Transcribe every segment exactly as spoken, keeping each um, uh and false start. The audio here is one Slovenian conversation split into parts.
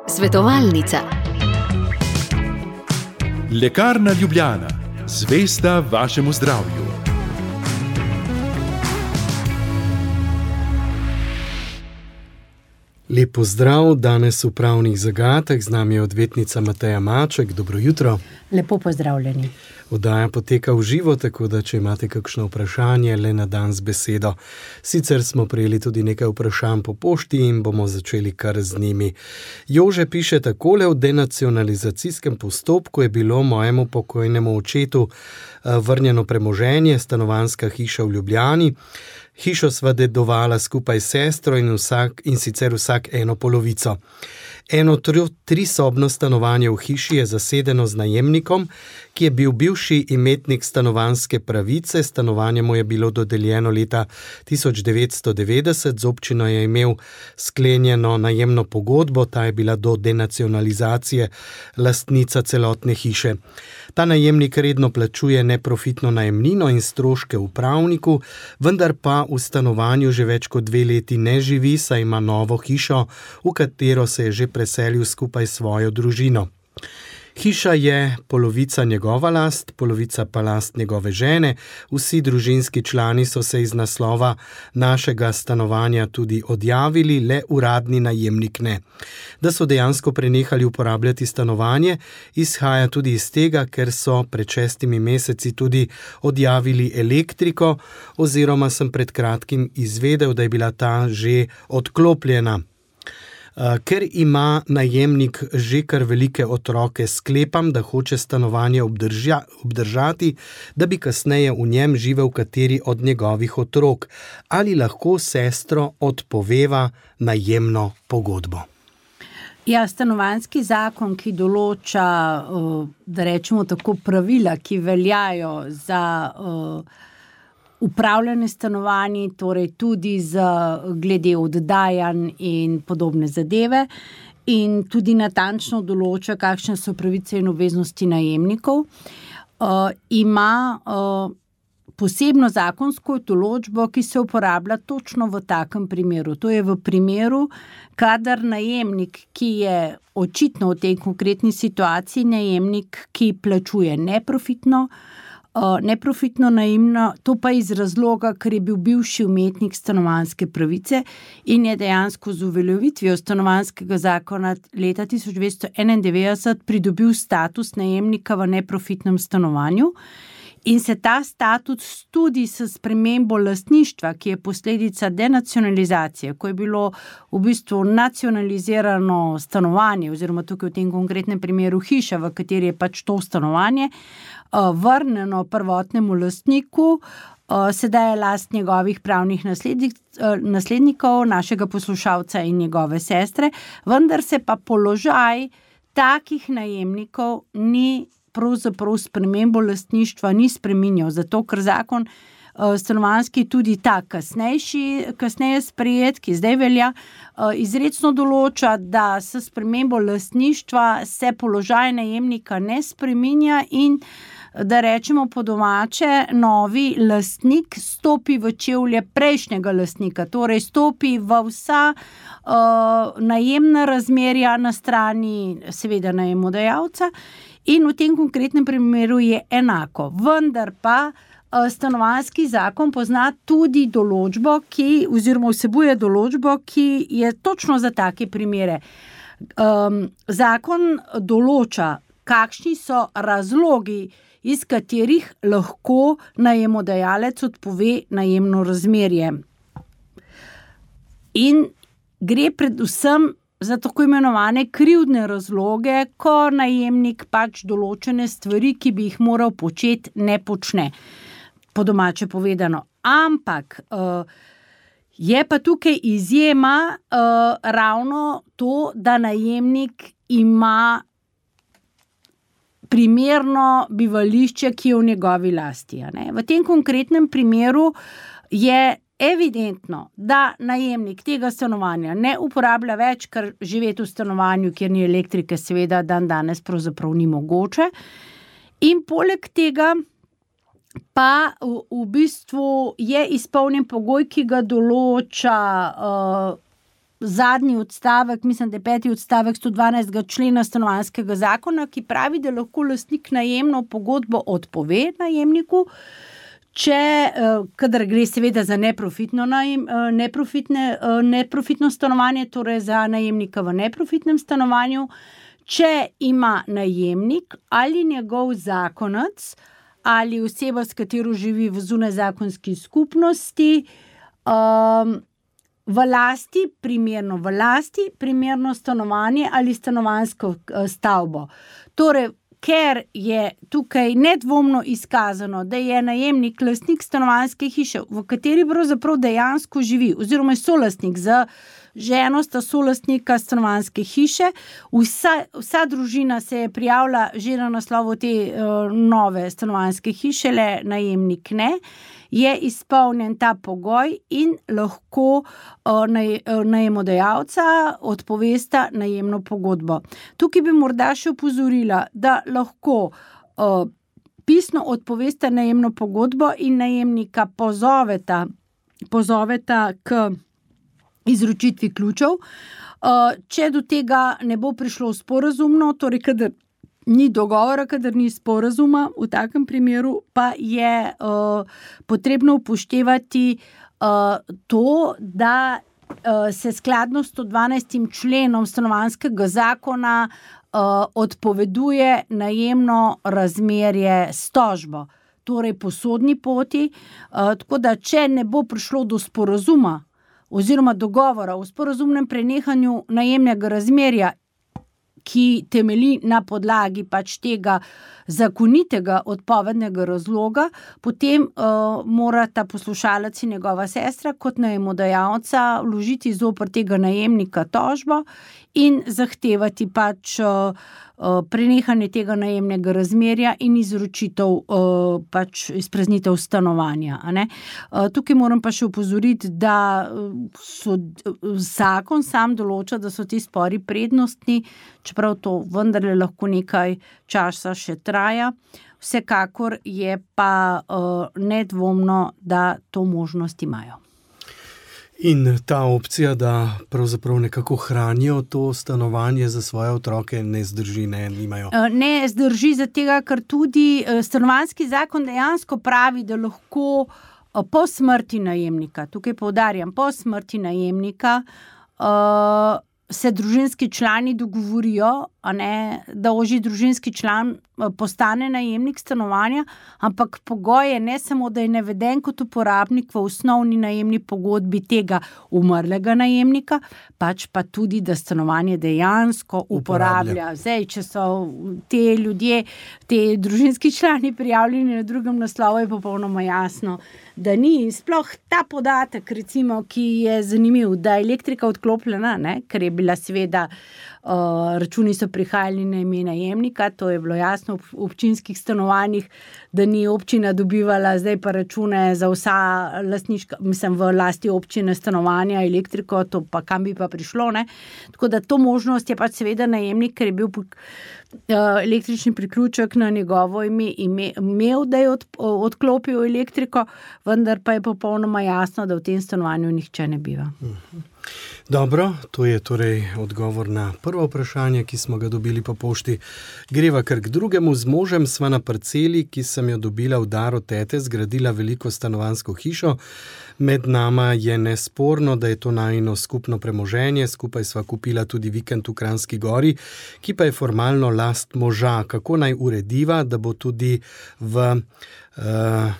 Svetovalnica. Lekarna Ljubljana, zvesta vašemu zdravju. Lep pozdrav, danes v Pravnih zagatah, z nami je odvetnica Mateja Maček. Dobro jutro. Lepo pozdravljeni. Oddaja poteka v živo, tako da če imate kakšno vprašanje, le na dan z besedo. Sicer smo prejeli tudi nekaj vprašanj po pošti in bomo začeli kar z njimi. Jože piše takole: v denacionalizacijskem postopku je bilo mojemu pokojnemu očetu vrnjeno premoženje, stanovanjska hiša v Ljubljani. Hišo sva dedovala skupaj s sestro in, vsak, in sicer vsak eno polovico. Eno trisobno stanovanje v hiši je zasedeno z najemnikom, ki je bil bivši imetnik stanovanjske pravice. Stanovanje mu je bilo dodeljeno leta tisoč devetsto devetdeset, z občino je imel sklenjeno najemno pogodbo, ta je bila do denacionalizacije lastnica celotne hiše. Ta najemnik redno plačuje neprofitno najemnino in stroške upravniku, vendar pa v stanovanju že več kot dve leti ne živi, saj ima novo hišo, v katero se je že preselil skupaj s svojo družino. Hiša je polovica njegova last, polovica pa last njegove žene. Vsi družinski člani so se iz naslova našega stanovanja tudi odjavili, le uradni najemnik ne. Da so dejansko prenehali uporabljati stanovanje, izhaja tudi iz tega, ker so pred šestimi meseci tudi odjavili elektriko, oziroma sem pred kratkim izvedel, da je bila ta že odklopljena. Ker ima najemnik že kar velike otroke, sklepam, da hoče stanovanje obdrža, obdržati, da bi kasneje v njem živel kateri od njegovih otrok. Ali lahko sestro odpoveva najemno pogodbo? Ja, stanovanjski zakon, ki določa, da rečemo tako, pravila, ki veljajo za upravljanje stanovanji, torej tudi z glede oddajanj in podobne zadeve, in tudi natančno določa, kakšne so pravice in obveznosti najemnikov. Uh, ima uh, posebno zakonsko določbo, ki se uporablja točno v takem primeru. To je v primeru, kadar najemnik, ki je očitno v tej konkretni situaciji najemnik, ki plačuje neprofitno, Uh, neprofitno najemno, to pa iz razloga, ker je bil bivši imetnik stanovanjske pravice in je dejansko z uveljavitvijo stanovanjskega zakona leta tisoč devetsto enaindevetdeset pridobil status najemnika v neprofitnem stanovanju. In se ta status tudi s spremembo lastništva, ki je posledica denacionalizacije, ko je bilo v bistvu nacionalizirano stanovanje, oziroma tukaj v tem konkretnem primeru hiša, v kateri je pač to stanovanje, vrnjeno prvotnemu lastniku, sedaj je last njegovih pravnih naslednikov, našega poslušalca in njegove sestre, vendar se pa položaj takih najemnikov ni pravzaprav spremembo lastništva ni spreminjal, zato ker zakon stanovanjski tudi ta kasnejši, kasneje sprejet, ki zdaj velja, izrecno določa, da s spremembo lastništva se položaj najemnika ne spreminja in da rečemo po domače, novi lastnik stopi v čevlje prejšnjega lastnika, torej stopi v vsa uh, najemna razmerja na strani seveda najemodajalca in v tem konkretnem primeru je enako. Vendar pa uh, stanovanjski zakon pozna tudi določbo, ki, oziroma vsebuje določbo, ki je točno za take primere. Um, zakon določa, kakšni so razlogi, iz katerih lahko najemodajalec odpove najemno razmerje. In gre predvsem za tako imenovane krivdne razloge, ko najemnik pač določene stvari, ki bi jih moral početi, ne počne. Po domače povedano. Ampak uh, je pa tukaj izjema uh, ravno to, da najemnik ima primerno bivališče, ki je v njegovi lasti. Ne? V tem konkretnem primeru je evidentno, da najemnik tega stanovanja ne uporablja več, ker živeti v stanovanju, kjer ni elektrike, seveda dan danes pravzaprav ni mogoče. In poleg tega pa v, v bistvu je izpolnjen pogoj, ki ga določa uh, zadnji odstavek, mislim, da je peti odstavek sto dvanajstega člena stanovanjskega zakona, ki pravi, da lahko lastnik najemno pogodbo odpove najemniku, če, kadar gre seveda za neprofitno, najem, neprofitne, neprofitno stanovanje, torej za najemnika v neprofitnem stanovanju, če ima najemnik ali njegov zakonec ali oseba, s katero živi v zunajzakonski skupnosti, um, v lasti, primerno v lasti, primerno stanovanje ali stanovanjsko stavbo. Torej, ker je tukaj nedvomno izkazano, da je najemnik lastnik stanovanjske hiše, v kateri pravzaprav dejansko živi, oziroma je solastnik z ženo, sta solastnika stanovanjske hiše, vsa, vsa družina se je prijavila že na naslovu te uh, nove stanovanjske hiše, le najemnik ne, je izpolnjen ta pogoj in lahko uh, naj, uh, najemodajalca odpovesta najemno pogodbo. Tukaj bi morda še opozorila, da lahko uh, pisno odpovesta najemno pogodbo in najemnika pozoveta, pozoveta k izročitvi ključev. Uh, če do tega ne bo prišlo sporazumno, torej kadar ni dogovora, kadar ni sporazuma, v takem primeru pa je uh, potrebno upoštevati uh, to, da uh, se skladno s sto dvanajstim členom stanovanjskega zakona uh, odpoveduje najemno razmerje s tožbo, torej po sodni poti, uh, tako da če ne bo prišlo do sporazuma oziroma dogovora o sporazumnem prenehanju najemnega razmerja, ki temelji na podlagi pač tega zakonitega odpovednega razloga, potem uh, mora ta poslušalec in njegova sestra kot najemodajalca vložiti zoper tega najemnika tožbo in zahtevati pač uh, uh, prenehanje tega najemnega razmerja in izročitev uh, pač izpraznitev stanovanja. A ne? Uh, tukaj moram pa še opozoriti, da so, zakon sam določa, da so ti spori prednostni, čeprav to vendarle lahko nekaj časa še traja. Vsekakor je pa uh, nedvomno, da to možnost imajo. In ta opcija, da pravzaprav nekako hranijo to stanovanje za svoje otroke, ne zdrži, ne, nimajo. Ne zdrži za tega, ker tudi stanovanjski zakon dejansko pravi, da lahko po smrti najemnika, tukaj poudarjam, po smrti najemnika, uh, se družinski člani dogovorijo, a ne, da ožji družinski član postane najemnik stanovanja, ampak pogoj je ne samo, da je naveden kot uporabnik v osnovni najemni pogodbi tega umrlega najemnika, pač pa tudi, da stanovanje dejansko uporablja. uporablja. Zdaj, če so te ljudje, te družinski člani prijavljeni na drugem naslovu, je popolnoma jasno, da ni sploh ta podatek, recimo, ki je zanimiv, da je elektrika odklopljena, ne, ker je bila seveda uh, računi so prihajali na ime najemnika, to je bilo jasno v občinskih stanovanjih, da ni občina dobivala zdaj pa račune za vsa lastniška, mislim, v lasti občine stanovanja, elektriko, to pa kam bi pa prišlo, ne. Tako da to možnost je pač seveda najemnik, ker je bil električni priključek na njegovo ime imel, da je od, odklopil elektriko, vendar pa je popolnoma jasno, da v tem stanovanju nihče ne biva. Dobro, to je torej odgovor na prvo vprašanje, ki smo ga dobili po pošti. Greva kar k drugemu. Z možem sva na parceli, ki sem jo dobila v dar od tete, zgradila veliko stanovanjsko hišo. Med nama je nesporno, da je to najino skupno premoženje, skupaj sva kupila tudi vikend v Kranjski Gori, ki pa je formalno last moža. Kako naj urediva, da bo tudi v uh,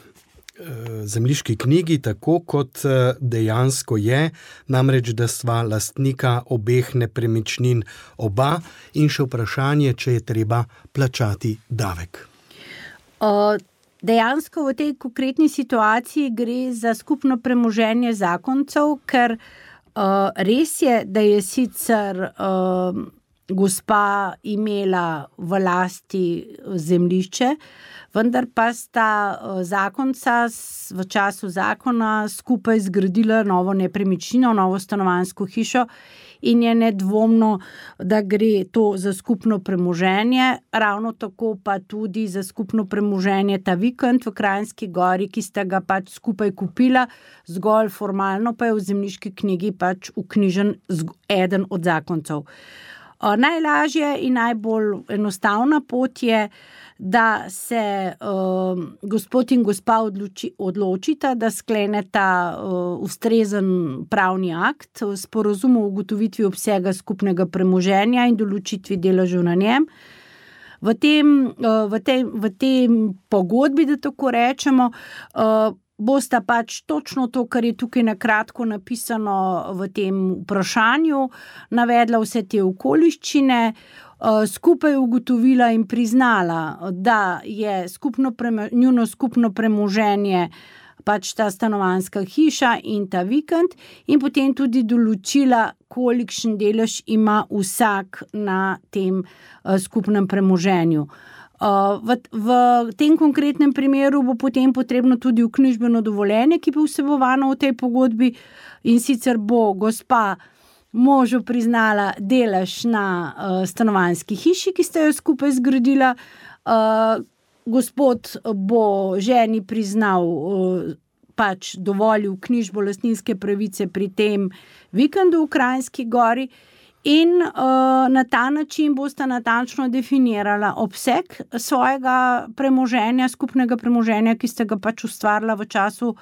zemljiški knjigi tako, kot dejansko je, namreč, da sva lastnika obeh nepremičnin oba, in še vprašanje, če je treba plačati davek. Uh, dejansko v tej konkretni situaciji gre za skupno premoženje zakoncev, ker uh, res je, da je sicer uh, gospa imela v lasti zemljišče, vendar pa sta zakonca v času zakona skupaj zgradila novo nepremičnino, novo stanovanjsko hišo in je nedvomno, da gre to za skupno premoženje, ravno tako pa tudi za skupno premoženje ta vikend v Kranjski Gori, ki sta ga pač skupaj kupila, zgolj formalno pa je v zemljiški knjigi pač vknjižen eden od zakoncev. Najlažje in najbolj enostavna pot je, da se uh, gospod in gospa odloči, odločita, da skleneta uh, ustrezen pravni akt, sporazum o ugotovitvi obsega skupnega premoženja in določitvi deležev na njem. V tem, uh, v tem, v tem pogodbi, da tako rečemo, uh, bosta pač točno to, kar je tukaj na kratko napisano v tem vprašanju, navedla vse te okoliščine, skupaj ugotovila in priznala, da je skupno premo, njuno skupno premoženje pač ta stanovanjska hiša in ta vikend in potem tudi določila, kolikšen delež ima vsak na tem skupnem premoženju. V, v tem konkretnem primeru bo potem potrebno tudi vknjižbeno dovoljenje, ki bo vsebovano v tej pogodbi in sicer bo gospa možu priznala delež na uh, stanovanjski hiši, ki sta jo skupaj zgradila. Uh, gospod bo ženi priznal, uh, pač dovolil knjižbo lastninske pravice pri tem vikendu v Kranjski Gori in uh, na ta način bosta natančno definirala obseg svojega premoženja, skupnega premoženja, ki sta ga pač ustvarila v času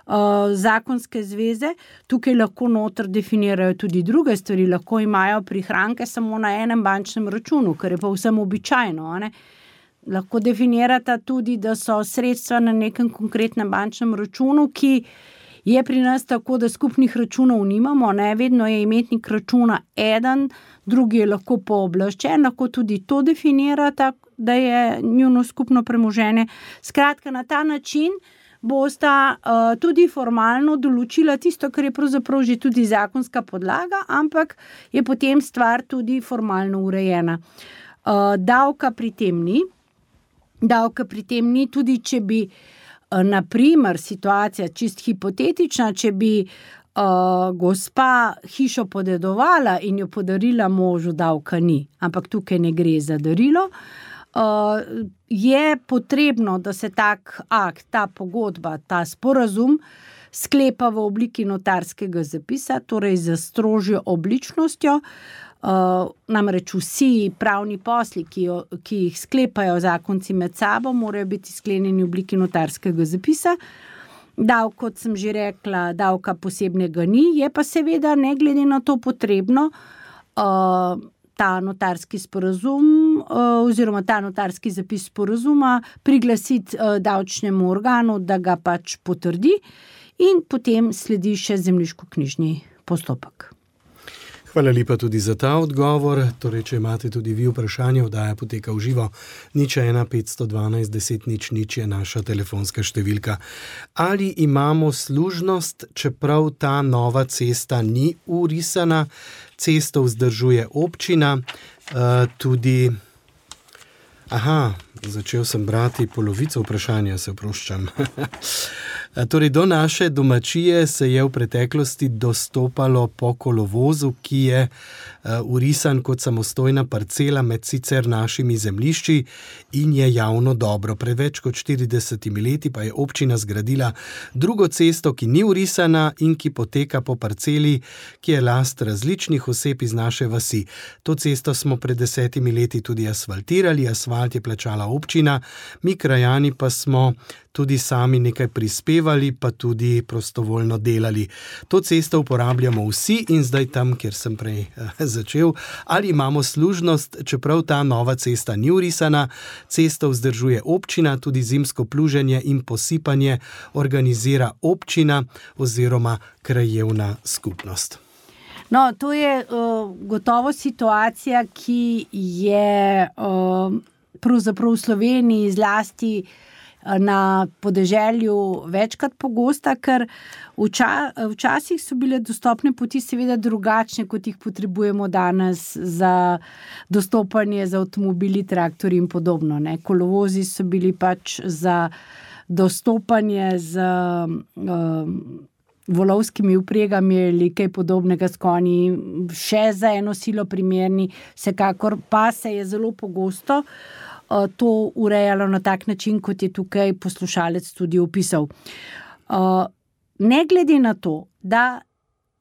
Uh, zakonske zveze. Tukaj lahko noter definirajo tudi druge stvari, lahko imajo prihranke samo na enem bančnem računu, kar je pa vsem običajno. Ne? Lahko definirata tudi, da so sredstva na nekem konkretnem bančnem računu, ki je pri nas tako, da skupnih računov nimamo, ne? Vedno je imetnik računa eden, drugi je lahko pooblaščen, lahko tudi to definirata, da je njuno skupno premoženje. Skratka, na ta način bosta uh, tudi formalno določila tisto, kar je pravzaprav že tudi zakonska podlaga, ampak je potem stvar tudi formalno urejena. Uh, davka pri tem ni. Davka pri tem ni, tudi če bi, uh, na primer, situacija čist hipotetična, če bi uh, gospa hišo podedovala in jo podarila možu, davka ni. Ampak tukaj ne gre za darilo. Uh, je potrebno, da se tak akt, ta pogodba, ta sporazum sklepa v obliki notarskega zapisa, torej za strožjo obličnostjo. Uh, namreč vsi pravni posli, ki, jo, ki jih sklepajo zakonci med sabo, morajo biti sklenjeni v obliki notarskega zapisa. Davk, kot sem že rekla, davka posebnega ni, je pa seveda ne glede na to potrebno uh, ta notarski sporazum oziroma ta notarski zapis sporazuma priglasiti davčnemu organu, da ga pač potrdi in potem sledi še zemljiškoknjižni postopek. Hvala lepa tudi za ta odgovor. Torej, če imate tudi vi vprašanje, oddaja poteka v živo. Nič ena petsto dvanajst deset nič nič je naša telefonska številka. Ali imamo služnost, čeprav ta nova cesta ni urisana, cesto vzdržuje občina, uh, tudi... Aha, začel sem brati polovico vprašanja, se oproščam. Torej, do naše domačije se je v preteklosti dostopalo po kolovozu, ki je uh, urisan kot samostojna parcela med sicer našimi zemljišči in je javno dobro. Pred več kot štiridesetimi leti pa je občina zgradila drugo cesto, ki ni urisana in ki poteka po parceli, ki je last različnih oseb iz naše vasi. To cesto smo pred desetimi leti tudi asfaltirali, asfalt je plačala občina, mi krajani pa smo tudi sami nekaj prispevali, pa tudi prostovoljno delali. To cesto uporabljamo vsi in zdaj tam, kjer sem prej eh, začel, ali imamo služnost, čeprav ta nova cesta ni urisana, cesto vzdržuje občina, tudi zimsko pluženje in posipanje organizira občina oziroma krajevna skupnost. No, to je uh, gotovo situacija, ki je uh, pravzaprav v Sloveniji zlasti na podeželju večkrat pogosta, ker vča, včasih so bile dostopne poti seveda drugačne, kot jih potrebujemo danes za dostopanje z avtomobili, traktorji in podobno. Ne. Kolovozi so bili pač za dostopanje z um, volovskimi vpregami ali kaj podobnega s konji, še za eno silo primerni, vsekakor pa se je zelo pogosto uh, to urejalo na tak način, kot je tukaj poslušalec tudi opisal. Uh, ne glede na to, da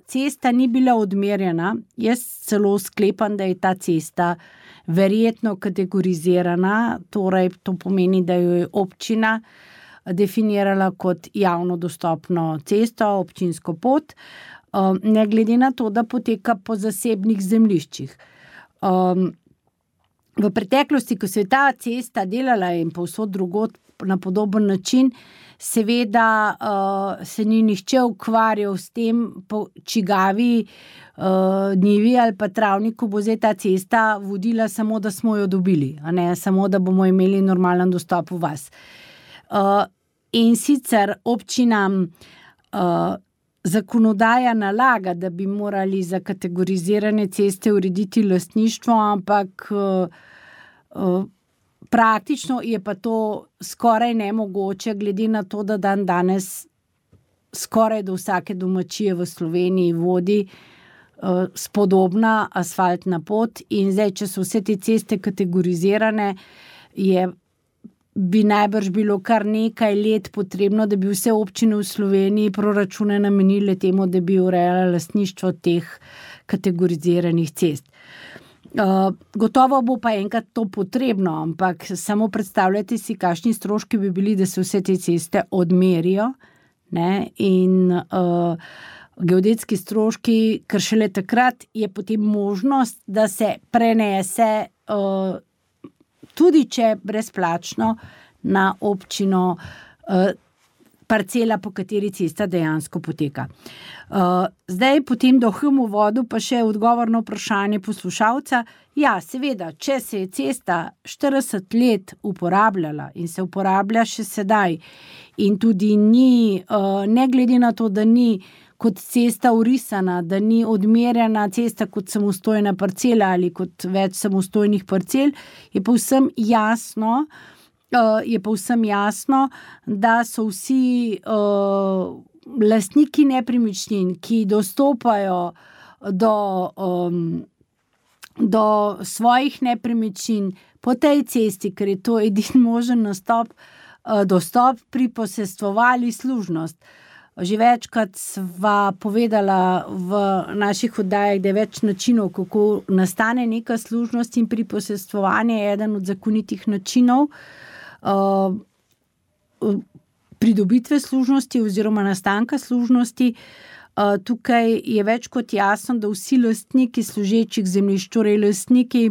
cesta ni bila odmerjena, jaz celo sklepam, da je ta cesta verjetno kategorizirana, torej to pomeni, da jo je občina definirala kot javno dostopno cesto, občinsko pot, ne glede na to, da poteka po zasebnih zemljiščih. V preteklosti, ko se je ta cesta delala in povsod drugod na podoben način, seveda se ni nihče ukvarjal s tem, po čigavi njivi ali pa travniku bo zdaj ta cesta vodila samo, da smo jo dobili, a ne samo, da bomo imeli normalen dostop v vas. Uh, in sicer občinam uh, zakonodaja nalaga, da bi morali za kategorizirane ceste urediti lastništvo, ampak uh, uh, praktično je pa to skoraj nemogoče, glede na to, da dan danes skoraj do vsake domačije v Sloveniji vodi uh, spodobna asfaltna pot in zdaj, če so vse te ceste kategorizirane, je bi najbrž bilo kar nekaj let potrebno, da bi vse občine v Sloveniji proračune namenile temu, da bi urejala lastništvo teh kategoriziranih cest. Uh, gotovo bo pa enkrat to potrebno, ampak samo predstavljajte si, kakšni stroški bi bili, da se vse te ceste odmerijo, ne, in uh, geodetski stroški, ker šele takrat je potem možnost, da se prenese uh, tudi če brezplačno na občino uh, parcela, po kateri cesta dejansko poteka. Uh, zdaj potem do hemu vodu pa še odgovor na vprašanje poslušalca. Ja, seveda, če se je cesta štirideset let uporabljala in se uporablja še sedaj in tudi ni, uh, ne glede na to, da ni kot cesta urisana, da ni odmerjena cesta kot samostojna parcela ali kot več samostojnih parcel, je povsem jasno, uh, je povsem jasno, da so vsi uh, lastniki nepremičnin, ki dostopajo do, um, do svojih nepremičnin po tej cesti, ker je to edini možen nastop, uh, dostop, priposestvovali služnost. Že večkrat sva povedala v naših oddajah, da je več načinov, kako nastane neka služnost in priposestvovanje je eden od zakonitih načinov uh, pridobitve služnosti oziroma nastanka služnosti. Uh, tukaj je več kot jasno, da vsi lastniki služečih zemljišč, torej lastniki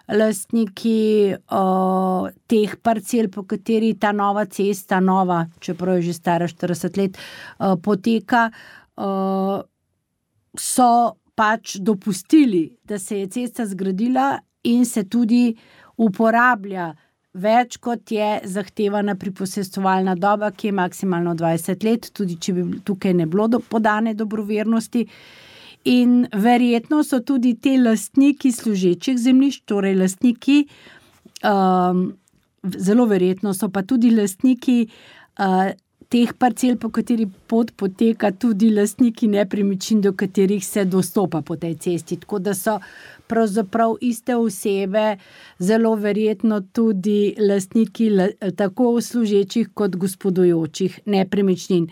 lastniki uh, teh parcel, po kateri ta nova cesta, nova, čeprav je že stara štirideset let, uh, poteka, uh, so pač dopustili, da se je cesta zgradila in se tudi uporablja več, kot je zahtevana priposestovalna doba, ki je maksimalno dvajset let, tudi če bi tukaj ne bilo do, podane dobrovernosti. In verjetno so tudi te lastniki služečih zemljišč, torej lastniki, um, zelo verjetno so pa tudi lastniki uh, teh parcel, po kateri pot poteka, tudi lastniki nepremičnin, do katerih se dostopa po tej cesti. Tako da so pravzaprav iste osebe, zelo verjetno tudi lastniki tako služečih kot gospodujočih nepremičnin.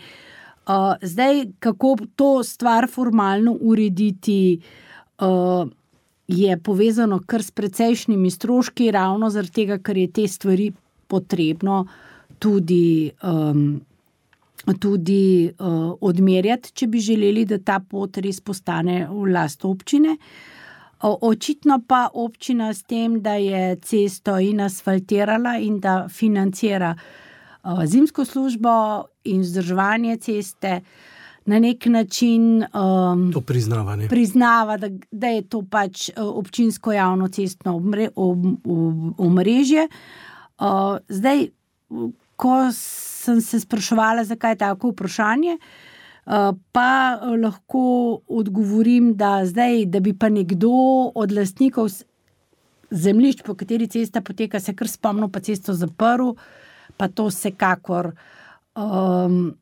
Uh, zdaj, kako to stvar formalno urediti, uh, je povezano kar s precejšnjimi stroški, ravno zaradi tega, ker je te stvari potrebno tudi, um, tudi uh, odmerjati, če bi želeli, da ta pot res postane v last občine. Uh, očitno pa občina s tem, da je cesto in asfaltirala in da financira zimsko službo in vzdrževanje ceste, na nek način um, to priznava, ne? priznava, da, da je to pač občinsko javno cestno omre, om, om, omrežje. Uh, zdaj, ko sem se spraševala, zakaj tako vprašanje, pa lahko odgovorim, da zdaj, da bi pa nekdo od lastnikov zemljišč, po kateri cesta poteka, se kar spomnil, pa cesto zaprl, pa to vsekakor um,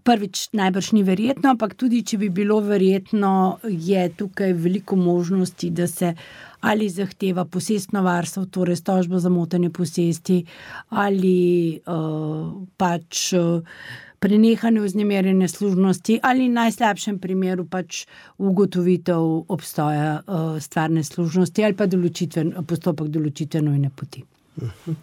prvič najbrž ni verjetno, ampak tudi, če bi bilo verjetno, je tukaj veliko možnosti, da se ali zahteva posestno varstvo, torej tožbo za motanje posesti, ali uh, pač uh, prenehanje vznemirjene služnosti, ali v najslabšem primeru pač ugotovitev obstoja uh, stvarne služnosti, ali pa določitven, postopek določitve nujne poti. Uh-huh.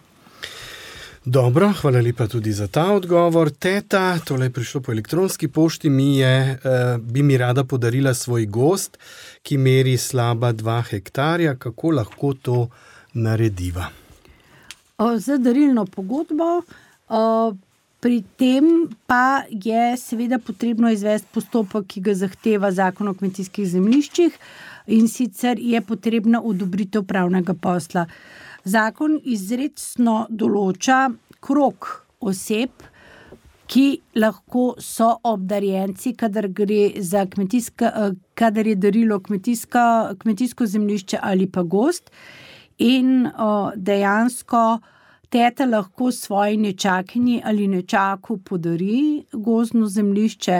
Dobro, hvala lepa tudi za ta odgovor. Teta, tole je prišlo po elektronski pošti, mi je, eh, bi mi rada podarila svoj gozd, ki meri slaba dva hektarja. Kako lahko to narediva? Za darilno pogodbo, pri tem pa je seveda potrebno izvesti postopek, ki ga zahteva Zakon o kmetijskih zemljiščih, in sicer je potrebna odobritev pravnega posla. Zakon izrecno določa krog oseb, ki lahko so obdarjenci, kadar gre za kmetijska, kadar je darilo kmetijska, kmetijsko zemljišče ali pa gozd, in o, dejansko teta lahko svoji nečakinji ali nečaku podari gozdno zemljišče.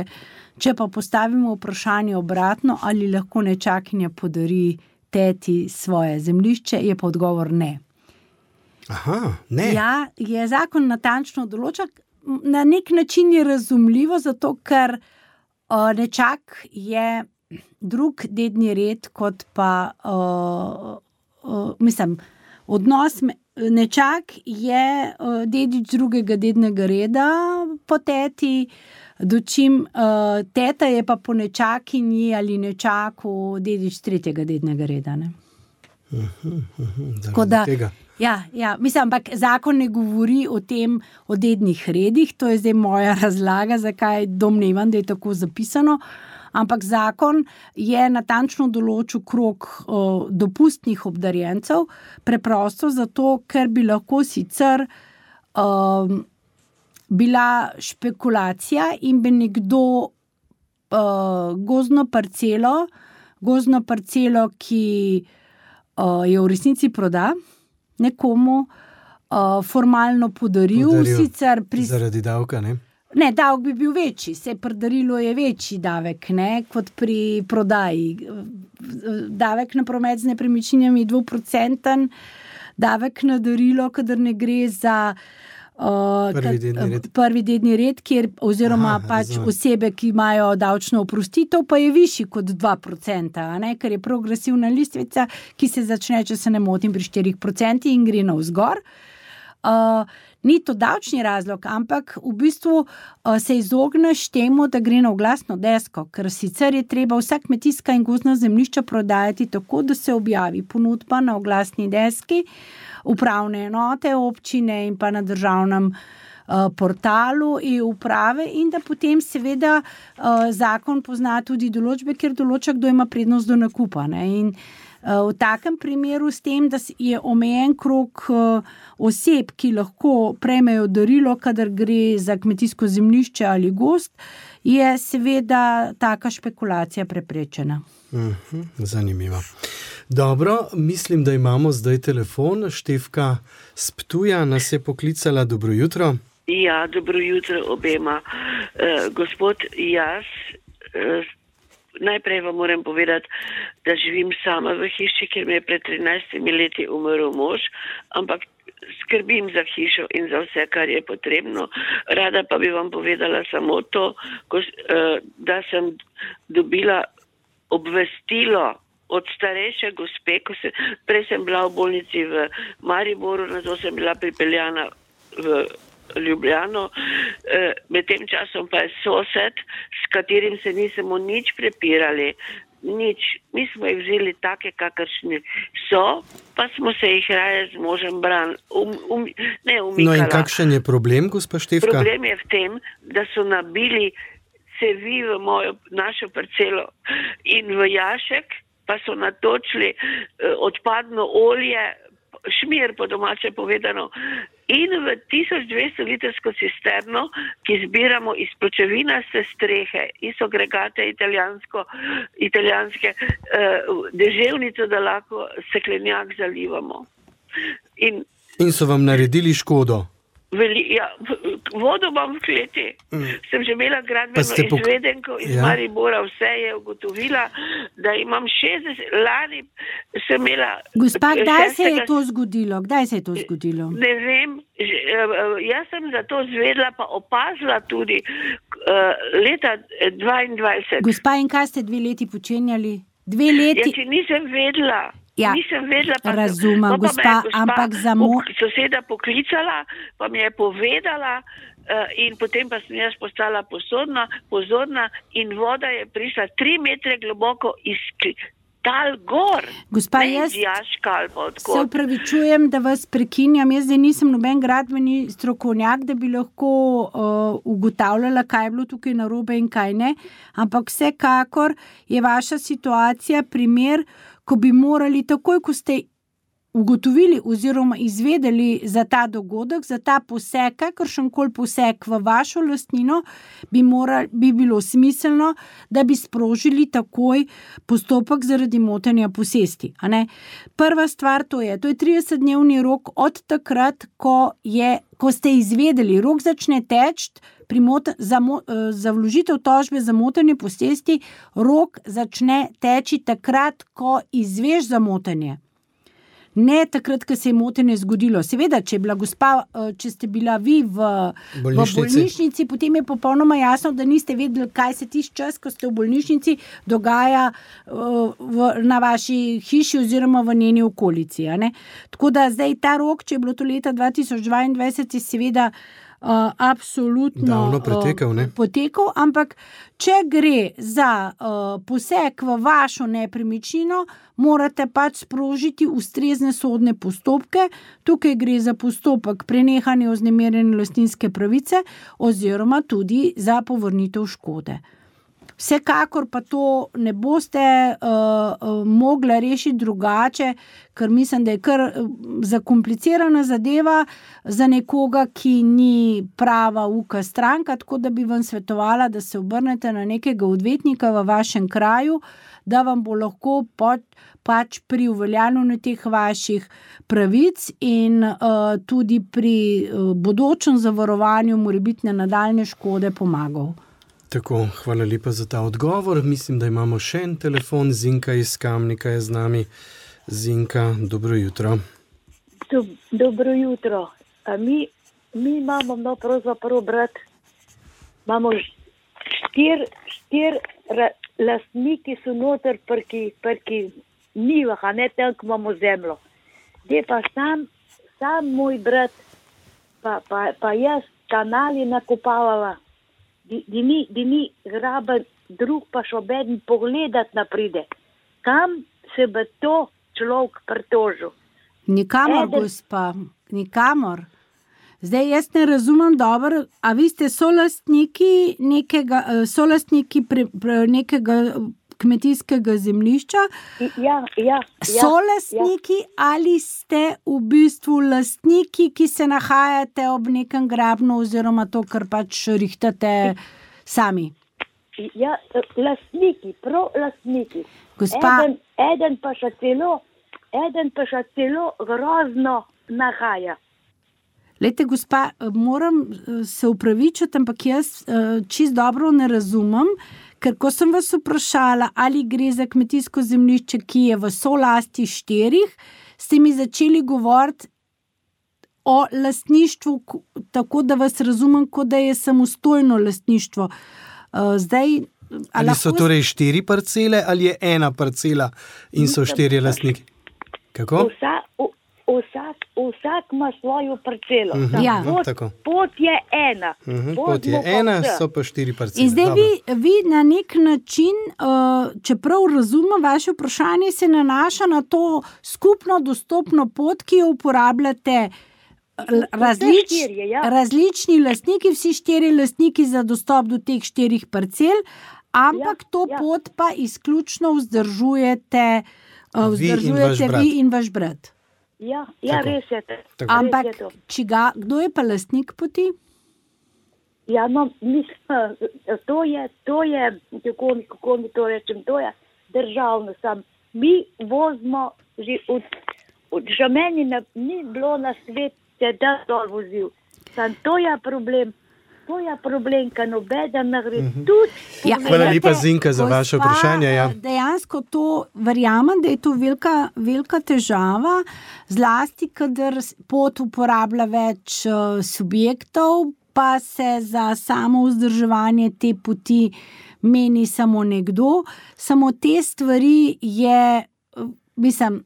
Če pa postavimo vprašanje obratno, ali lahko nečakinja podari teti svoje zemljišče, je pa odgovor ne. Aha, ne. Ja, je zakon natančno določa, na nek način je razumljivo, zato ker o, nečak je drug dedni red, kot pa, o, o, mislim, odnos nečak je o, dedič drugega dednega reda po teti, dočim o, teta je pa po nečakinji ali nečaku dedič tretjega dednega reda. Ne? Uh-huh, uh-huh, Tako da, ja, ja, mislim, ampak zakon ne govori o tem, o dednih redih, to je zdaj moja razlaga, zakaj domnevam, da je tako zapisano, ampak zakon je natančno določil krog o, dopustnih obdarjencev, preprosto zato, ker bi lahko sicer o, bila špekulacija in bi nekdo o, gozdno parcelo, gozdno parcelo, ki o, je v resnici proda, nekomu uh, formalno podaril, podaril sicer pri... zaradi davka, ne? Ne, davek bi bil večji, saj pri darilu je večji davek, ne, kot pri prodaji. Davek na promet z nepremičninami je dvoprocenten, davek na darilo, kadar ne gre za uh, prvi dedni red, prvi dedni red kjer, oziroma Aha, pač razumem. Osebe, ki imajo davčno oprostitev, pa je višji kot dva procenta, ne, ker je progresivna listvica, ki se začne, če se ne motim, pri štirih procentih in gre navzgor. Uh, ni to davčni razlog, ampak v bistvu uh, se izogneš temu, da gre na oglasno desko, ker sicer je treba vsa kmetijska in gozdna zemljišča prodajati tako, da se objavi ponudba na oglasni deski, upravne enote občine in pa na državnem uh, portalu e-uprave, in da potem seveda uh, zakon pozna tudi določbe, kjer določa, kdo ima prednost do nakupa. Ne? In uh, v takem primeru s tem, da je omejen krog uh, oseb, ki lahko prejmejo darilo, kadar gre za kmetijsko zemljišče ali gozd, je seveda taka špekulacija preprečena. Uh-huh, zanimivo. Dobro, mislim, da imamo zdaj telefon. Štefka s Ptuja nas je poklicala. Dobro jutro. Ja, dobro jutro obema. Uh, gospod, jaz uh, najprej vam moram povedati, da živim sama v hiši, ker mi je pred trinajstimi leti umrl mož, ampak skrbim za hišo in za vse, kar je potrebno. Rada pa bi vam povedala samo to, ko, uh, da sem dobila obvestilo od starejše gospe, ko se, prej sem bila v bolnici v Mariboru, na to sem bila pripeljana v Ljubljano, e, med tem časom pa je sosed, s katerim se nismo nič prepirali, nič, mi smo jih vzeli take, kakršni so, pa smo se jih raje z možem bran, um, um, ne umikala. No in kakšen je problem, gospa Štefka? Problem je v tem, da so nabili cevi v mojo, našo parcelo in v jašek, pa so natočili eh, odpadno olje, šmir po domače povedano, in v tisoč dvesto litrsko cisterno, ki zbiramo iz pločevinaste strehe, iz agregate italijansko, italijanske uh, deževnico, da lahko steklenjak zalivamo. In, in so vam naredili škodo? Veli, ja, vodo imam v kleti. Mm. Sem že imela gradbeno pok... izvedenko iz ja. Maribora, vse je ugotovila, da imam šestdeset, lani sem imela... Gospa, kdaj se je to zgodilo? Kdaj se je to zgodilo? Ne vem, jaz sem za to zvedla, pa opazila tudi uh, leta dvaindvajset. Gospa, in kaj ste dve leti počenjali? Dve leti? Ja, če nisem vedela. Ja, nisem vedela, pa razumem, sem, gospa, gospa, ampak za mo... soseda poklicala, pa mi je povedala uh, in potem pa sem jaz postala pozorna, pozorna in voda je prišla tri metre globoko iz tal gor. Gospa, ne jaz jaškal, se upravičujem, da vas prekinjam. Jaz zdaj nisem noben gradbeni strokovnjak, da bi lahko uh, ugotavljala, kaj je bilo tukaj narobe in kaj ne, ampak vsekakor je vaša situacija primer, ko bi morali takoj, ko ste ugotovili oziroma izvedeli za ta dogodek, za ta poseg, kakršenkoli poseg v vašo lastnino, bi, moral, bi bilo smiselno, da bi sprožili takoj postopek zaradi motenja posesti. A ne? Prva stvar to je, to je tridesetdnevni rok od takrat, ko, je, ko ste izvedeli, rok začne teči pri mot- za, mo- za vložitev tožbe za motenje posesti, rok začne teči takrat, ko izveš za motenje. Ne takrat, ko se je motenje zgodilo. Seveda, če je bila gospa, če ste bila vi v bolnišnici. v bolnišnici, potem je popolnoma jasno, da niste vedeli, kaj se tisti čas, ko ste v bolnišnici, dogaja v, na vaši hiši oziroma v njeni okolici. A ne? Tako da zdaj ta rok, če je bilo to leta dva tisoč dvaindvajset, je seveda Uh, absolutno davno pretekal, ne? Uh, potekal, ampak če gre za uh, poseg v vašo nepremičnino, morate pač sprožiti ustrezne sodne postopke. Tukaj gre za postopek prenehanja vznemirjene lastninske pravice oziroma tudi za povrnitev škode. Vsekakor pa to ne boste uh, uh, mogli rešiti drugače, ker mislim, da je kar zakomplicirana zadeva za nekoga, ki ni prava uka stranka, tako da bi vam svetovala, da se obrnete na nekega odvetnika v vašem kraju, da vam bo lahko pot, pač pri uveljavljanju teh vaših pravic in uh, tudi pri uh, bodočem zavarovanju morebitne nadaljne škode pomagal. Tako, hvala lepa za ta odgovor. Mislim, da imamo še en telefon. Zinka iz Kamnika je z nami. Zinka, dobro jutro. Do, dobro jutro. A mi, mi imamo, no pravzaprav brat, imamo štir, štir ra, lastniki so noter prki, prki nivah, a ne tam, ko imamo zemljo. Zdaj pa sam, sam moj brat, pa, pa, pa jaz kanali nakopavala. Da ni, ni graben drug, pa še obeden pogledat napride. Kam se bi to človek pritožil? Nikamor, Eden... gospa, nikamor. Zdaj, jaz ne razumem dobro, a vi ste solastniki nekega, solastniki pre, pre nekega kmetijskega zemljišča? Ja, ja. Solastniki ja. Ali ste v bistvu lastniki, ki se nahajate ob nekem grabnu oziroma to, kar pač rihtate sami? Ja, lastniki, prav lastniki. Gospa... Eden, eden pa še celo, eden pa še celo grozno nahaja. Lejte, gospa, moram se upravičiti, ampak jaz čist dobro ne razumem, ker ko sem vas vprašala, ali gre za kmetijsko zemljišče, ki je v solasti štirih, ste mi začeli govoriti o lastništvu, tako da vas razumem, kot da je samostojno lastništvo. Zdaj, ali so torej štiri parcele ali je ena parcela in so štirje lastniki? Kako? Vsa, vsak, vsak ima svojo parcelo. Uh-huh, ja. pot, pot je ena. Uh-huh, pot je ena, so pa štiri parcele. In zdaj vi, vi na nek način, uh, čeprav razumem vaše vprašanje, se nanaša na to skupno dostopno pot, ki jo uporabljate različ, štirje, ja. različni lastniki, vsi štiri lastniki za dostop do teh štirih parcel, ampak ja, to ja. pot pa izključno vzdržujete, uh, vzdržujete vi in vaš brat. Vi in vaš brat. Ja, ja res je to. Tako. Ampak Res je to. čiga, kdo je pa lastnik poti? Ja, no, mislim, to je, to je, kako mi, kako mi to rečem, to je državno sam. Mi vozimo, že od, od že meni ne, ni bilo na svete, da dol vozil. Sam to je problem, to je problem, ka nobeden ne gre Mhm. tudi. Ja, pogledati. Hvala lepa, Glejte, Zinka, za vaše gospa, vprašanje. Ja. Dejansko to verjamem, da je to velika, velika težava, zlasti, kadar s- pot uporablja več uh, subjektov, pa se za samo vzdrževanje te poti meni samo nekdo. Samo te stvari je, uh, mislim,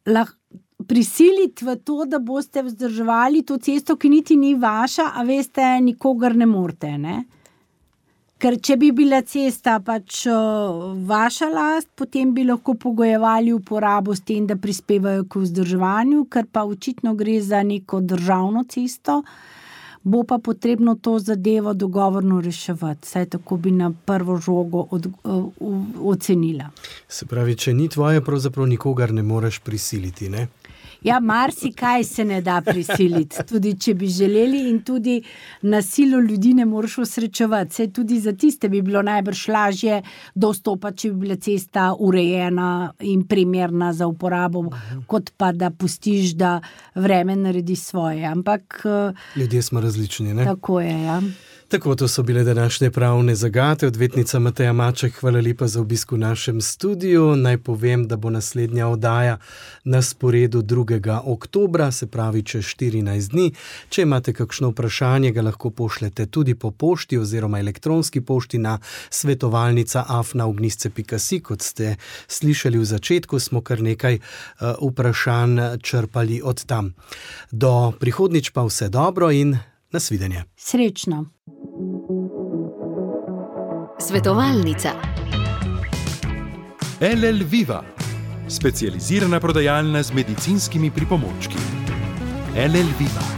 lahko prisiliti v to, da boste vzdrževali to cesto, ki niti ni vaša, a veste, nikogar ne morete, ne? Ker če bi bila cesta pač uh, vaša last, potem bi lahko pogojevali uporabo s tem, da prispevajo k vzdrževanju, ker pa očitno gre za neko državno cesto, bo pa potrebno to zadevo dogovorno reševati. Saj tako bi na prvo žogo od, uh, ocenila. Se pravi, če ni tvoje, pravzaprav nikogar ne moreš prisiliti, ne? Ja, marsikaj se ne da prisiliti, tudi če bi želeli, in tudi na silo ljudi ne moreš osrečevati. Saj tudi za tiste bi bilo najbrž lažje dostopati, če bi bila cesta urejena in primerna za uporabo, kot pa da pustiš, da vreme naredi svoje. Ampak eh, Ljudje smo različni, ne? tako je, ja. Tako, to so bile današnje pravne zagate. Odvetnica Mateja Maček, hvala lepa za obisk v našem studiu. Naj povem, da bo naslednja oddaja na sporedu drugega oktobra, se pravi čez štirinajst dni. Če imate kakšno vprašanje, ga lahko pošljete tudi po pošti oziroma elektronski pošti na svetovalnica afna ognjišče pika si. Kot ste slišali v začetku, smo kar nekaj uh, vprašanj črpali od tam. Do prihodnjič pa vse dobro in nasvidenje. Srečno. Svetovalnica. L L Viva, specializirana prodajalna z medicinskimi pripomočki. L L Viva.